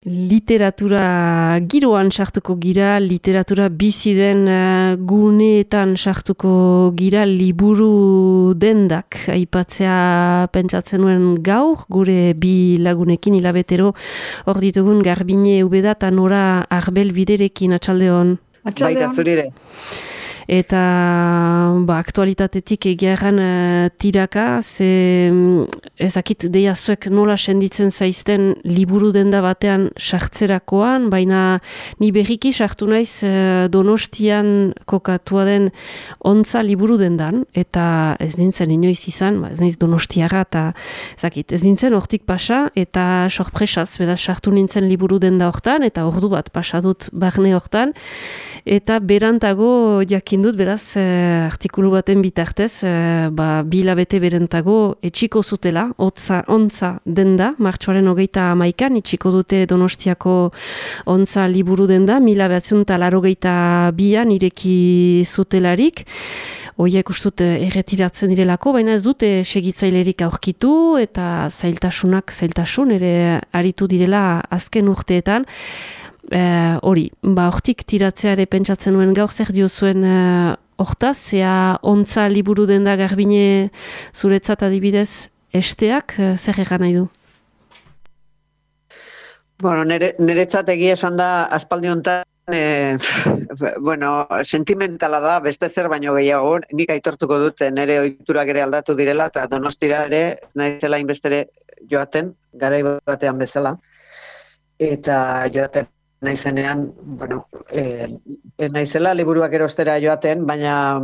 Literatura giroan sartuko gira, literatura bizi den guneetan sartuko gira, liburu dendak aipatzea pentsatzen nuen gaur, gure bi lagunekin hilabetero hor ditugun Garbine Ubeda eta Nora Arbel Biderekin, atxaldeon. Baita zurire. Eta aktualitatetik egiaran tiraka, ezakit deia zuek nola senditzen zaizten liburu denda batean sartzerakoan, baina ni berriki sartu naiz Donostian kokatua den Ontza liburu dendan, eta ez nintzen inoiz izan, ez naiz Donostiara, eta ezakit, ez nintzen hortik pasa, eta sorpresaz, beraz sartu nintzen liburu denda hortan, eta ordu bat pasadut barne hortan, eta berantago jakin dut, beraz, artikulu baten bitartez, bi hilabete berantago etxiko zutela, Ontza denda, martxoaren 21an, etxiko dute Donostiako Ontza liburu denda, 1982an ireki zutelarik, hoiek ustut erretiratzen direlako, baina ez dute segitzailerik aurkitu, eta zailtasun ere aritu direla azken urteetan. Hortik tiratzeare pentsatzen nuen gaur, zer diozuen hortaz, zea Ontza liburu denda Garbine zuretzat adibidez esteak, zer egan nahi du? Bueno, niretzat egia esan da aspaldi hontan sentimentala da, beste zer baino gehiago, nik aitortuko dut nire ohiturak ere aldatu direla, eta Donostira ere, naizela inbestere joaten, garai batean bezala, eta joaten naizenean, naizela liburuak erostera joaten, baina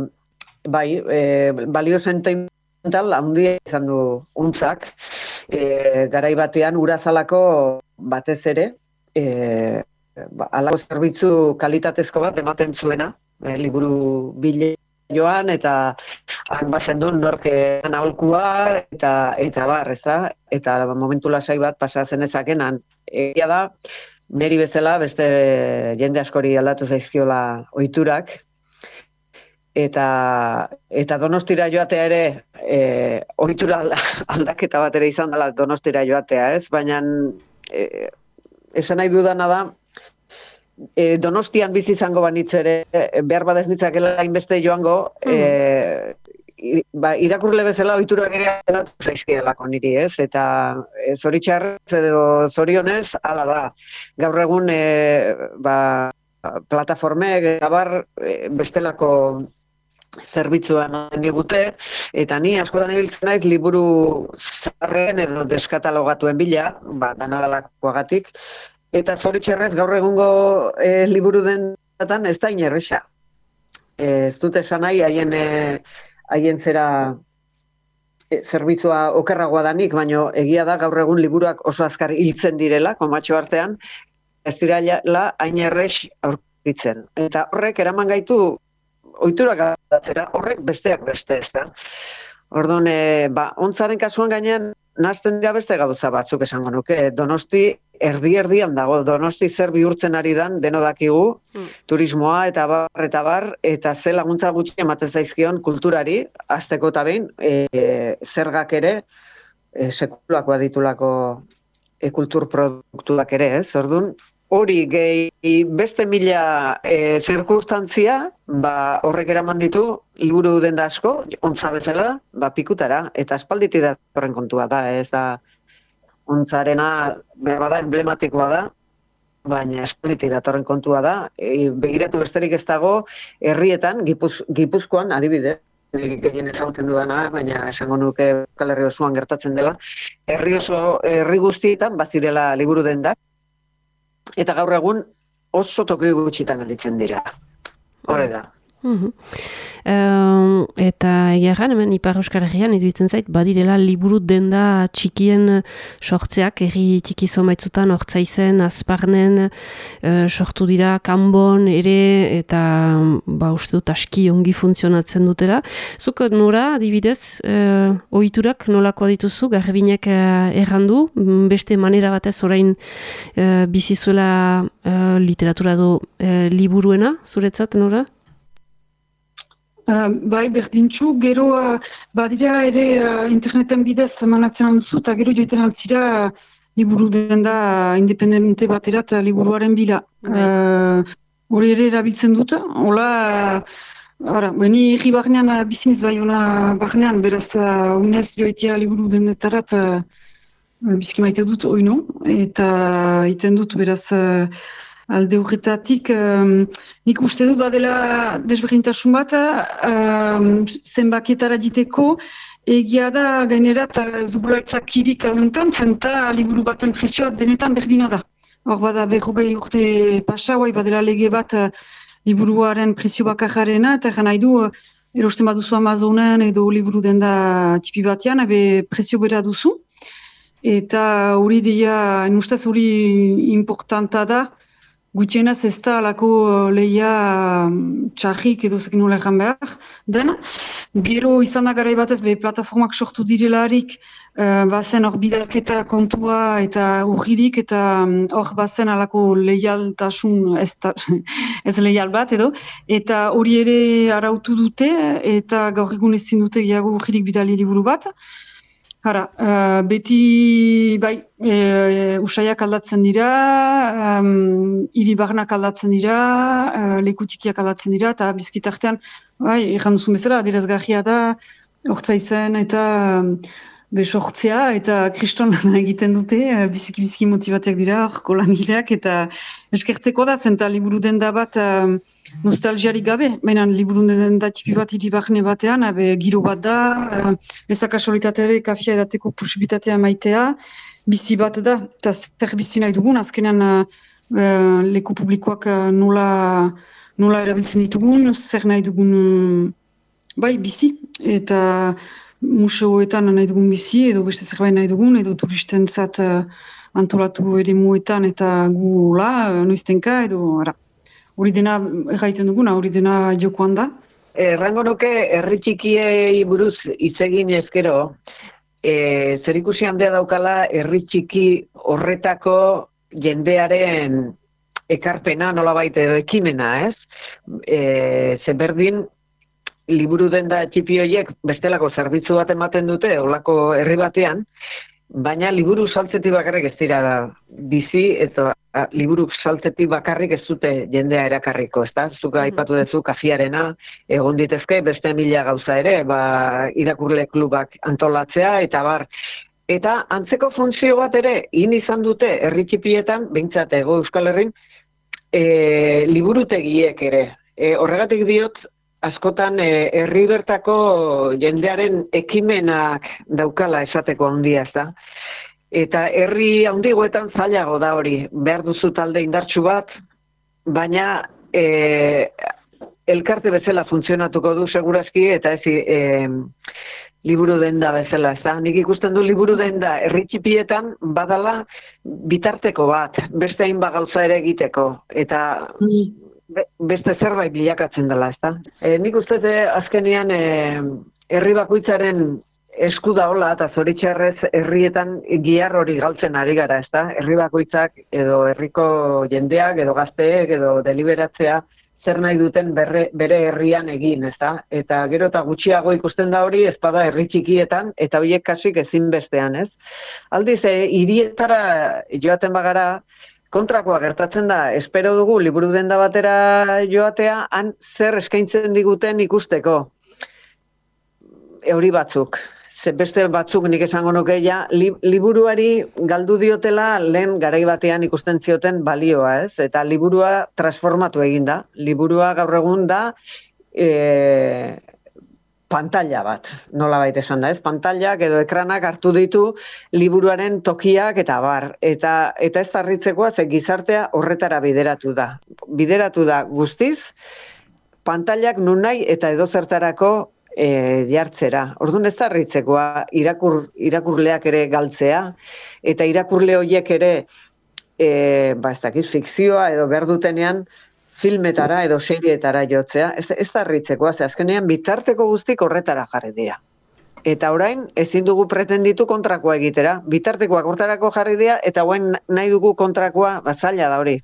bai, balio sentimental handia izan du Ontzak, garai batean Urazalako batez ere, halako zerbitzu kalitatezko bat ematen zuena, liburu bile joan, eta han bazen duen norkean aholkua, eta bar, eta momentu lasai bat pasatzen ezakenan. Egia da, neri bezala, beste jende askori aldatu zaizkiola ohiturak, eta Donostira joatea ere, ohitura aldaketa bat ere izan dela Donostira joatea, ez? Baina, esan nahi dudana da, Donostian bizi izango banitz ere, behar badez nitzakela hainbeste joango, irakurle bezala ohiturak ere aldatu zaizkielako niri, ez? Eta zoritxarrez edo zorionez, hala da. Gaur egun plataformek gabar bestelako zerbitzuan digute, eta ni askotan ibiltzen naiz liburu zaharren edo deskatalogatuen bila, danadalakoagatik, eta zoritxarrez gaur egungo liburu denatan ez da inerresa. Ez dut esan nahi, haien zera zerbitzua okerragoa danik, baina egia da gaur egun liburuak oso azkar hiltzen direla, komatxo artean, ez direla hain errex aurkitzen. Eta horrek eraman gaitu ohiturak aldatzera, horrek besteak beste, ez da. Orduan, Ontzaren kasuan gainean, nahazten dira beste gauza batzuk esango nuke. Donosti erdi-erdian dago, Donosti zer bihurtzen ari dan, deno dakigu, turismoa eta bar, eta ze laguntza gutxi ematen zaizkion kulturari, hasteko eta behin, zergak ere, sekulakoa ditulako kulturproduktuak ere, ez? Orduan, hori gehi beste mila zirkunstantzia, horrek eraman ditu, liburu denda asko, Ontza bezala, pikutara, eta aspalditi datorren kontua da, ez da, Ontzarena, behar bada, emblematikoa da, baina aspalditi datorren kontua da, begiratu besterik ez dago, herrietan, Gipuzkoan, adibide, gehien ezagutzen dudana, baina esango nuke Euskal Herri osoan gertatzen dela, herri guztietan, bazirela liburu dendak, eta gaur egun oso toki gutxitan gelditzen dira. Hore da. Eta egiaran, hemen Ipar Euskal Herrian iduitzen zait, badirela liburu denda txikien sortzeak, herri txiki zomaitzutan, Ortzaizen, Azparnen, sortu dira, Kanbon ere, eta uste dut aski ongi funtzionatzen dutela. Zuk Nora, adibidez, ohiturak nolakoa dituzu, Garbinek errandu, beste manera batez orain bizizuela literatura do liburuena, zuretzat, Nora? Bai, berdintxu, gero badira ere interneten bidez emanatzen duzu, eta gero joiten altzira liburu denda independente baterat liburuaren bila. Hori ere erabiltzen dut, hola, beni egi barnean bizimiz bai hola barnean, beraz unez joitea liburu dendetarat bizki maite dut oino, eta iten dut beraz alde horretatik, nik uste dut badela desberdintasun bat, zenbakietara diteko, egia da gainerat zubulaitzak aluntan, zenta liburu baten prezioa denetan berdina da. Hor bada 40 urte pasa, badela lege bat liburuaren prezio bakarrarena, eta egan nahi du, erosten baduzu Amazonen edo liburu denda tipi batean, prezio bera duzu. Eta hori deia, ustez hori importanta da, gutienaz ez da alako lehia txarrik edo zekin nola egan behar dena. Gero izan da garai batez, plataformak sortu direlarik, bazen hor bidalketa kontua eta urririk, eta hor bazen alako leialtasun ez leial bat edo, eta hori ere arautu dute, eta gaur egun ezin dute gehiago urririk bidali liburu bat. Beti usaiak aldatzen dira, hiri barnak aldatzen dira, lekutikiak aldatzen dira, eta bizkitartean, egan duzun bezala, adierazgarria da, hortza izan eta besortzea, eta kriston egiten dute, biziki motivatiak dira, horko langileak, eta eskertzeko da, zenta liburu denda bat nostalgiarik gabe, baina liburu denda tipi bat hiri barne batean, giro bat da, ezak kasualitateare kafia edateko posibitatea maitea, bizi bat da, eta zer bizi nahi dugun, azkenean leku publikoak nola erabiltzen ditugun, zer nahi dugun bizi, eta museoetan nahi dugun bizi, edo beste zerbait nahi dugun, edo turistentzat antolatu eremuetan eta gula, noiztenka, edo hori dena erraiten duguna, hori dena jokoan da. Errango nuke, herri txikiei buruz hitz egin ezkero, zerikusi handia daukala herri txiki horretako jendearen ekarpena, nolabait edo ekimena, ez? Zeberdin, liburu denda txipi horiek bestelako zerbitzu bat ematen dute, olako herri batean, baina liburu saltzetik bakarrik ez dira bizi, eta liburu saltzetik bakarrik ez dute jendea erakarriko, ezta? Zuka aipatu duzu kafiarena, egon ditezke beste 1000 gauza ere, irakurle klubak antolatzea, eta bar. Eta antzeko funtzio bat ere, izan dute herri txipietan, behintzat Hego Euskal Herrin, liburutegiek ere. Horregatik diot, askotan herri bertako jendearen ekimenak daukala esateko handia, ezta? Eta herri handigoetan zailago da hori, behar duzu talde indartsu bat, baina elkarte bezala funtzionatuko du segurazki, eta ez liburu denda bezala, ezta? Nik ikusten du liburu denda herri txipietan badala bitarteko bat, beste hainbat gauza ere egiteko, eta beste zerbait bilakatzen dela, ezta? Nik uste azkenean herri bakoitzaren esku daola, eta zoritxarrez herrietan gihar hori galtzen ari gara, ezta? Herri bakoitzak edo herriko jendeak edo gazteek edo deliberatzea zer nahi duten bere herrian egin, ezta? Eta gero eta gutxiago ikusten da hori ezpada herri txikietan, eta horiek kasik ezinbestean, ez? Aldiz, hirietara joaten bagara, kontrakoa gertatzen da, espero dugu liburu denda batera joatea, han zer eskaintzen diguten ikusteko. Euri batzuk. Beste batzuk nik esango nuke liburuari galdu diotela lehen garai batean ikusten zioten balioa, ez? Eta liburua transformatu egin da. Liburua gaur egun da pantalla bat, nolabait esan da, ez? Pantallak edo ekranak hartu ditu liburuaren tokiak eta bar. Eta ez harritzekoa, ze gizartea horretara bideratu da. Bideratu da guztiz, pantallak nun nahi eta edozertarako jartzera. Orduan ez da harritzekoa irakurleak ere galtzea, eta irakurle horiek ere ez dakiz, fikzioa edo behar dutenean filmetara edo serietara jotzea, ez da harritzekoa, ze azkenean bitarteko guztik horretara jarri dira. Eta orain ezin dugu pretenditu kontrakoa egitera, bitartekoak hortarako jarri dira, eta orain nahi dugu kontrakoa, zaila da hori.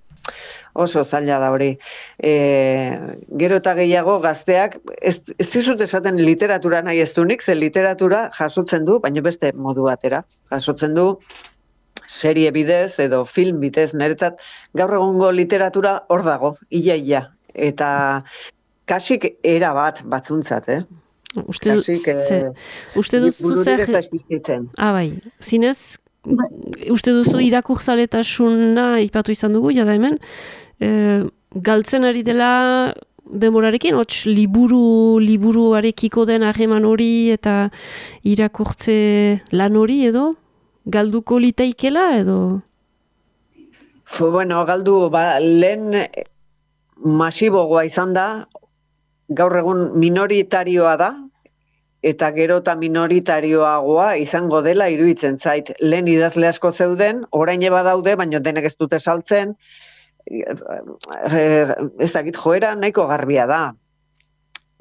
Oso zaila da hori. Gero eta gehiago gazteak, ez dizut esaten literatura nahi ez dunik, ze literatura jasotzen du, baina beste modu batera. Jasotzen du serie bidez edo film bidez, niretzat gaur egungo literatura hor dago, ia. Eta kasik era batzuntzat, Kasik uste duzu bururik ez zer... da espizitzen. Bai, zinez, uste duzu irakurzaletasuna ipatu izan dugu, jada hemen, galtzen ari dela demorarekin, hots liburuarekiko den harreman hori eta irakurtze lan hori edo? Galduko litaikela edo? Bueno, galdu, lehen masibogoa izan da, gaur egun minoritarioa da, eta gero eta minoritarioagoa izango dela iruditzen zait. Lehen idazle asko zeuden, orain eba daude, baina denek ez dute saltzen, ez dakit joera nahiko garbia da.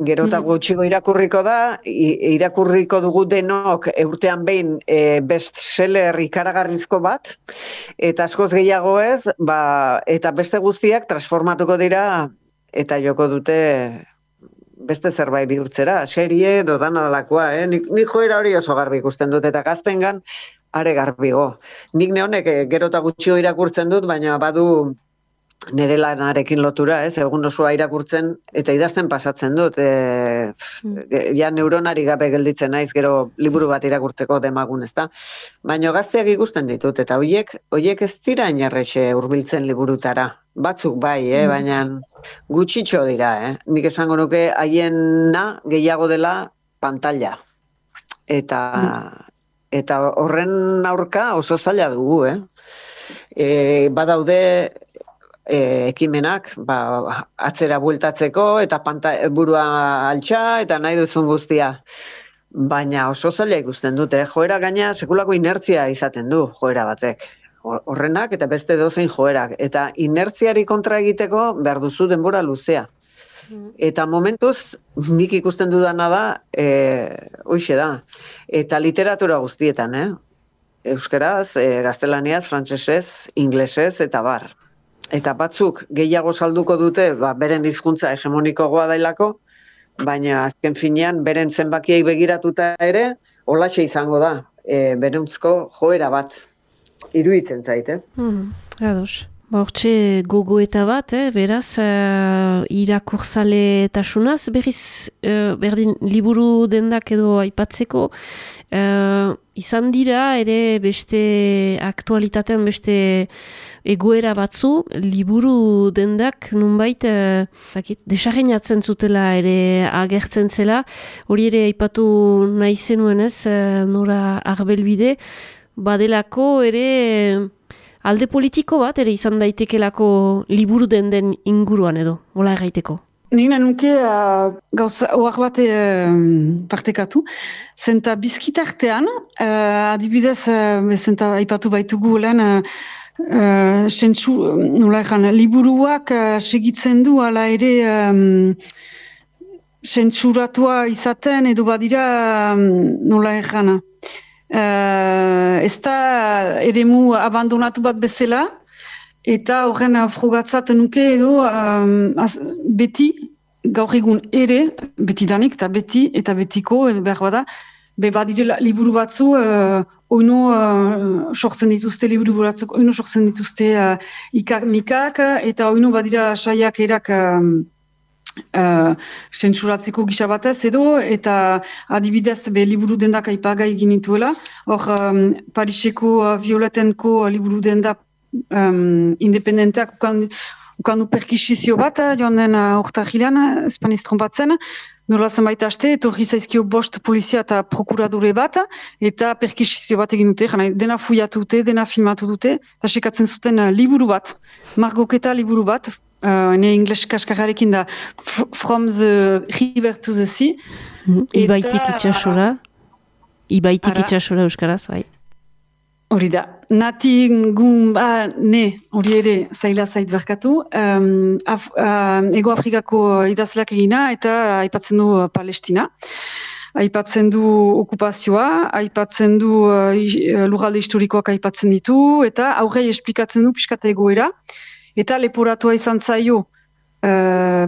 Gero eta gutxigo irakurriko da, irakurriko dugu denok urtean behin bestseller ikaragarrizko bat, eta askoz gehiago ez, eta beste guztiak transformatuko dira, eta joko dute beste zerbait bihurtzera, serie edo dana dalakoa, Nik joera hori oso garbi ikusten dut, eta gaztengan are garbigo. Nik nehonek gero eta gutxio irakurtzen dut, baina badu nire lanarekin lotura, egun osoa irakurtzen, eta idazten pasatzen dut. Ja neuronari gabe gelditzen naiz, gero liburu bat irakurtzeko demagun, ezta? Baina gazteak ikusten ditut, eta hoiek ez dira inerrexe hurbiltzen liburutara. Batzuk bai, baina gutxitxo dira, Nik esango nuke haiena gehiago dela pantalla. Eta horren aurka oso zaila dugu, Badaude ekimenak atzera bueltatzeko eta burua altxa eta nahi duzun guztia. Baina oso zaila ikusten dute, joera gaina sekulako inertzia izaten du joera batek. Horrenak eta beste dozein joerak. Eta inertziari kontra egiteko behar duzu denbora luzea. Eta momentuz nik ikusten dudana da, hoixe da. Eta literatura guztietan, Euskaraz, gaztelaniaz, frantsesez, inglesez eta bar. Eta batzuk gehiago salduko dute, beren hizkuntza hegemonikoagoa dailako, baina azken finean beren zenbakiei begiratuta ere, holaxe izango da, beruntzko joera bat, iruditzen zait, Ados. Hortxe gogoeta bat, beraz, irakurzaletasunaz, berriz, berdin, liburu dendak edo aipatzeko, izan dira ere beste aktualitatean beste egoera batzu, liburu dendak nunbait desarreinatzen zutela ere agertzen zela, hori ere aipatu nahi zenuen ez, Nora Arbelbide, badelako ere alde politiko bat ere izan daitekelako liburu den inguruan edo, hola erraiteko. Nina nuke gauza oak bat partekatu, zenta bizkitartean, adibidez, zenta aipatu baitugu lehen, liburuak segitzen du ala ere sentsuratua izaten edo badira nola errana. Ez da eremu abandonatu bat bezala, eta horren frogatzat nuke edo beti, gaur egun ere, beti danik eta beti eta betiko edo behar bada, badire liburu batzu, oino sortzen dituzte liburu batzuk, oino sortzen dituzte mikak, eta oino badira saiak erak sentsuratzeko gisa batez edo, eta adibidez liburu dendak aipagai ginituela, hor Pariseko Violetenko liburu dendak independenteak ukandu perkisizio bat, joan den urtarrilean, espaniz trompatzen, nola zenbait aste, etorri zaizkio 5 polizia eta prokuradore bat, eta perkisizio bat egin dute, dena fuiatu dute, dena filmatu dute, eta sekatzen zuten liburu bat, margoketa liburu bat, ne ingles kaskarrarekin da, From the River to the Sea. Ibaitik itxasora euskaraz, bai. Hori da, nati hori ere zaila zait berkatu, Ego Afrikako idazleak egina eta aipatzen du Palestina. Aipatzen du okupazioa, aipatzen du lurralde historikoak aipatzen ditu, eta aurrei esplikatzen du pixkata egoera, eta leporatua izan zaio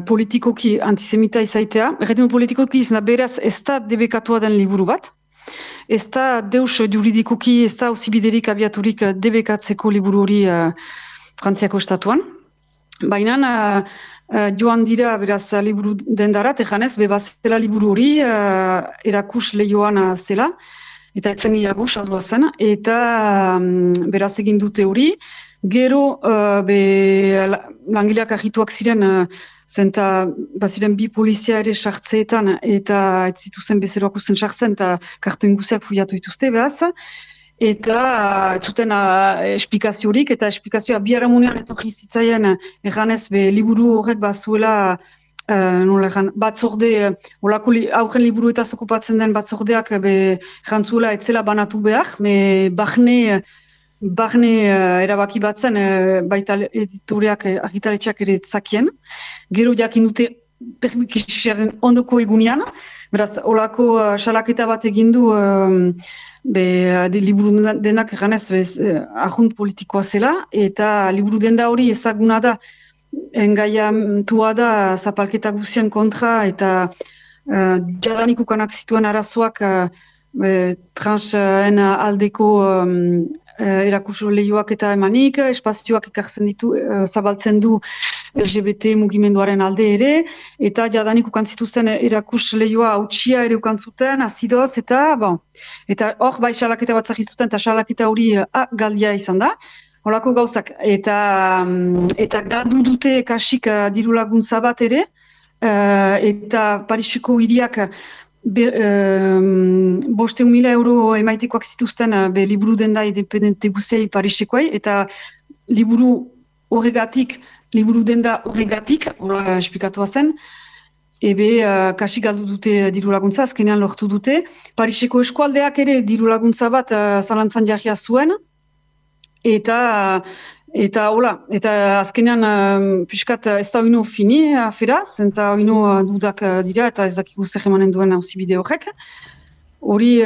politikoki antisemita izaitea. Erretin politikoki izan beraz ez da debekatua den liburu bat, ez da deus juridikoki, ez da auzibiderik abiaturik debekatzeko liburu hori Frantziako estatuan. Baina joan dira beraz liburu dendarat, ejanez, bebazela liburu hori erakus lehioan zela, eta etzen iago saldua zen, eta beraz egin dute hori. Gero, langileak agituak ziren, zenta baziren bi polizia ere sartzeetan, eta ez zituzen bezeroak usten sartzen, eta kartu inguziak fuiatu dituzte, behaz. Eta zuten esplikaziorik, eta esplikazioa biharamunean etorri zitzaien erganez liburu horrek bazuela batzorde, aurren liburu eta zokupatzen den batzordeak jantzuela etzela banatu behar, barne erabaki batzen baita editoreak argitaletxeak ere zakien. Gero jakin dute permikisiaren ondoko egunean, beraz, olako salaketa bat egindu liburu denak eganez ahunt politikoa zela, eta liburu denda hori ezaguna da, engaiatua da zapalketa guzien kontra, eta jadanik ukanak zituen arazoak transen aldeko erakuso lehioak eta emanik, espazioak ekartzen ditu, zabaltzen du LGBT mugimenduaren alde ere, eta jadanik ukantzituzen erakus lehioa hautsia ere ukantzuten, azidoz, eta hor bai salaketa bat zahizuten, eta salaketa hori galdia izan da, holako gauzak, eta galdu dute kasik diru laguntza bat ere, eta Pariseko hiriak 500.000 euro emaitekoak zituzten liburu denda independente guziai Parisekoai, eta liburu denda horregatik, hola esplikatoa zen, kasi galdu dute diru laguntza, azkenean lortu dute. Pariseko eskualdeak ere diru laguntza bat zalantzan jarria zuen, eta azkenean piskat ez da oino fini aferaz, eta oino dudak dira, eta ez dakigu zer emanen duen auzibide horrek. Hori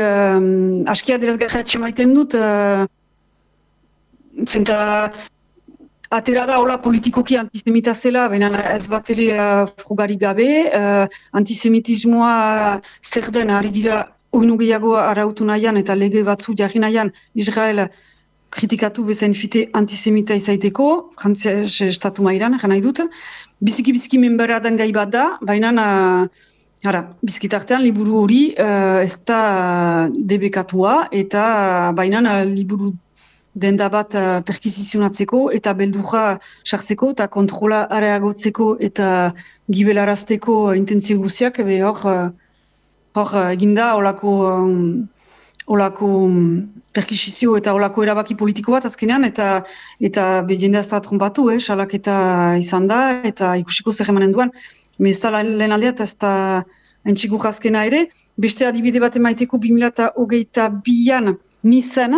askia derazgarra etxemaiten dut, zenta atera da hola politikoki antisemita zela, baina ez bat ere frugarik gabe, antisemitismoa zer den ari dira oino gehiago arautu nahian eta lege batzu jarri nahian Israel kritikatu bezain fite antisemita izaiteko, Frantzia estatu mailan, nahi dut. Biziki menbera den gai bat da, baina bizkitartean liburu hori ez da debekatua, eta baina liburu denda bat perkizizionatzeko eta beldurra sartzeko eta kontrola areagotzeko eta gibelarazteko intentzio guziak, hor eginda olako perkisizio eta olako erabaki politiko bat azkenean, eta jendea ez da trompatu, salaketa izan da, eta ikusiko zer emanen duan. Ez da lehen aldea eta ez da entxigur azkena ere. Beste adibide bat emaiteko 2022an Nizan,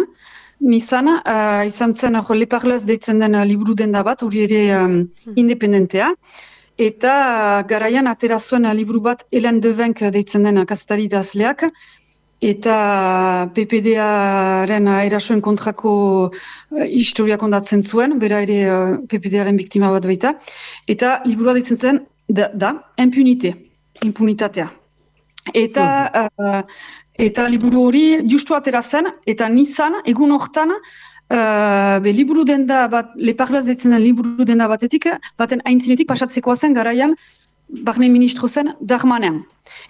izan zen Le Parleuz deitzen den liburu denda bat, hori ere independentea, eta garaian atera zuen liburu bat Hélène Devenck deitzen den kazetari idazleak, eta PPD-aren erasoen kontrako historia kondatzen zuen, bera ere PPD-aren biktima bat baita, eta liburua deitzen zen da impunitatea. Eta liburu hori justu atera zen, eta Nizan, egun hortan, liburu denda bat, Le Parleuz deitzen den liburu denda batetik, baten aintzinetik pasatzekoa zen garaian, barne ministro zen Darmanin.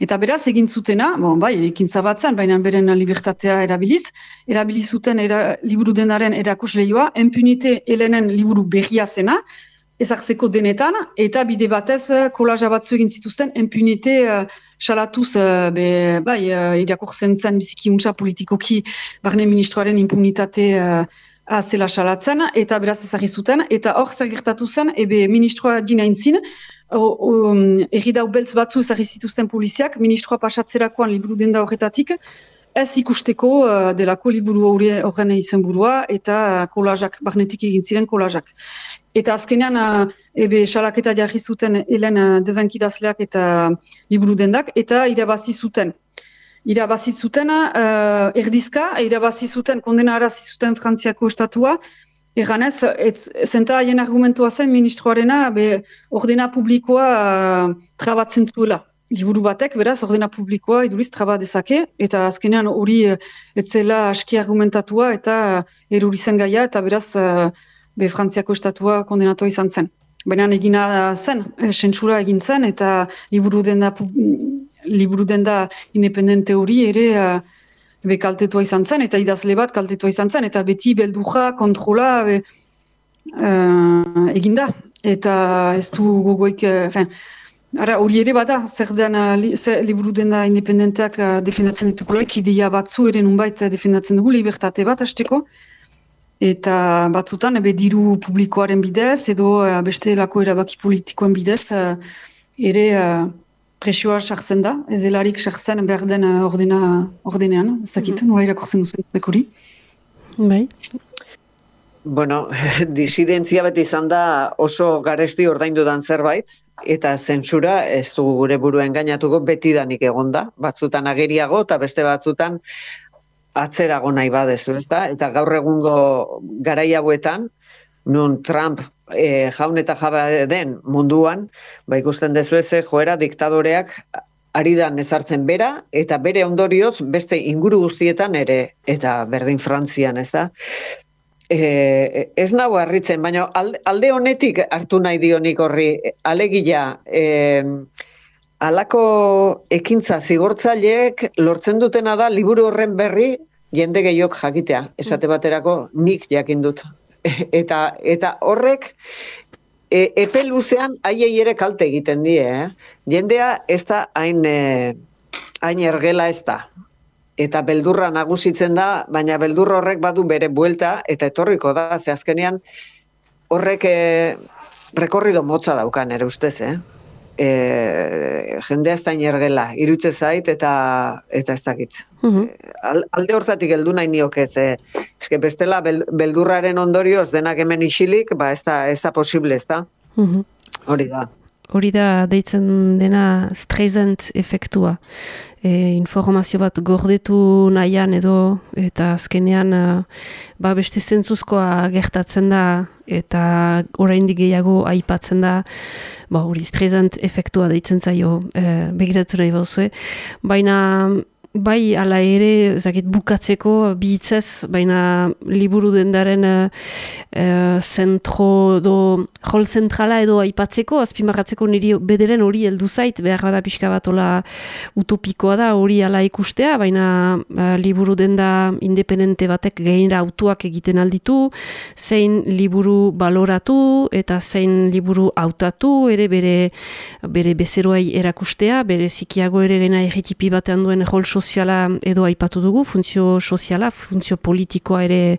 Eta beraz egin zutena, ekintza bat zen, baina beren libertatea erabiliz zuten liburu denaren erakus lehioa, impunite Helenen liburu berria zena, ezartzeko denetan, eta bide batez kolaja batzu egin zituzten impunite salatuz, irakurtzen zen biziki untsa politikoki barne ministroaren impunitatea zela salatzen, eta beraz ezagri zuten, eta hor zer gertatu zen, ministroa dina intzin, erridau beltz batzu ezagri zituzten poliziak, ministroa pasatzerakoan liburu denda horretatik, ez ikusteko delako liburu horren izenburua, eta kolajak, barnetik egin ziren kolajak. Eta azkenean, salaketa jarri zuten Hélène Devenck idazleak eta liburu dendak, eta irabazi zuten. Erdizka, irabazi zuten, kondenarazi zuten Frantziako estatua, erganez, zenta haien argumentua zen ministroarena, ordena publikoa trabatzen zuela. liburu batek, beraz, ordena publikoa iduriz traba dezake, eta azkenean hori etzela aski argumentatua eta eruri zen gaia, eta beraz, Frantziako estatua kondenatua izan zen. Baina egina zen, sentsura egin zen, eta liburu denda independente hori ere kaltetua izan zen, eta idazle bat kaltetua izan zen, eta beti belduja, kontrola eginda. Eta ez du gogoik, hori ere bada, zer liburu denda independenteak defendatzen ditukuloik, ideia batzu ere nunbait defendatzen dugu, libertate bat hasteko, eta batzutan diru publikoaren bidez, edo beste lako erabaki politikoen bidez, ere presioa sartzen da, ez delarik sartzen behar den ordenean, ez dakit, nola irakurtzen duzu dekuri. Bai. Bueno, disidentzia beti izan da oso garesti ordaindudan zerbait, eta zentsura ez du gure buruen gainatuko betidanik egonda, batzutan ageriago eta beste batzutan atzerago nahi badezu, eta gaur egungo garai hauetan, nun Trump jaun eta jabe den munduan, ikusten dezu joera diktadoreak aridan ezartzen bera, eta bere ondorioz beste inguru guztietan ere, eta berdin Frantzian, ez da? Ez nago harritzen, baina alde honetik hartu nahi dionik horri, alegia, alako ekintza zigortzaileek lortzen dutena da liburu horren berri jende gehiok jakitea, esate baterako nik jakin dut. Eta horrek epe luzean haiei ere kalte egiten die, Jendea ez da hain ergela ez da. Eta beldurra nagusitzen da, baina beldur horrek badu bere buelta, eta etorriko da, ze azkenean horrek rekorrido motza daukan ere ustez, jendea ez da inergela, irutze zait eta ez dakit. Alde hortatik heldu nahi nioke, eske bestela beldurraren ondorioz denak hemen isilik, ez da posible, ez da? Hori da. Hori da deitzen dena Streisand efektua. Informazio bat gordetu nahian edo, eta azkenean beste zentzuzkoa gertatzen da, eta oraindik gehiago aipatzen da, hori Streisand efektua deitzen zaio, begiratu nahi bauzue. Baina bai ala ere, bukatzeko bihitzez, baina liburu dendaren zentro rol zentrala edo aipatzeko, azpimarratzeko niri bederen hori heldu zait, behar bada pixka bat ola utopikoa da hori ala ikustea, baina liburu denda independente batek gainera autuak egiten alditu, zein liburu baloratu eta zein liburu hautatu, ere bere bezeroai erakustea, bere zikiago ere gena erritipi batean duen rol soziala edo aipatu dugu, funtzio soziala, funtzio politikoa ere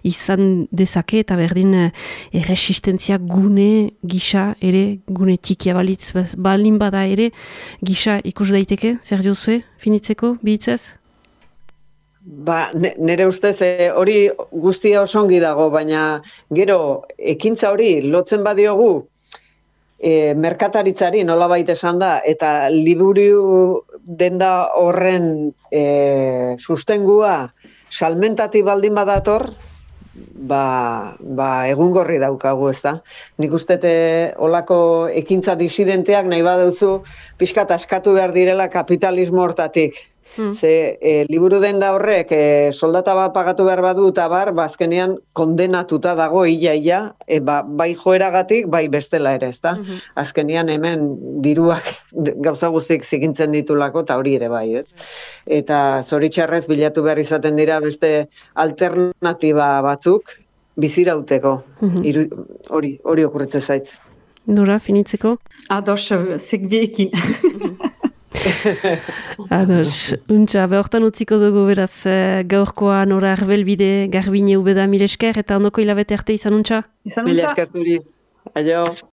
izan dezake eta berdin erresistentzia gune gisa ere, gune txikia balitz, balin bada ere gisa ikus daiteke, zer diozue, finitzeko, bihitzez? Nire ustez hori guztia osongi dago, baina gero ekintza hori lotzen badiogu merkataritzari nolabait esan da, eta liburu denda horren sustengua salmentati baldin badator, egungorri daukagu, ez da. Nik uste olako ekintza disidenteak nahi baduzu pixkat askatu behar direla kapitalismo hortatik. Ze liburu denda horrek soldata bat pagatu behar badu eta azkenean kondenatuta dago ia, bai joeragatik, bai bestela ere, ezta? Azkenean hemen diruak gauza guztik zikintzen ditulako eta hori ere bai, ez? Eta zoritxarrez bilatu behar izaten dira beste alternatiba batzuk bizirauteko. Hori okurritze zaitz. Nora, finitzeko? Ados, zekbiekin. Ados, untxa, behortan utziko dugu beraz gaurkoa Nora Arbelbide, Garbine ubeda mile esker, eta ondoko hilabete arte izan untxa? Mile esker zuri, aio.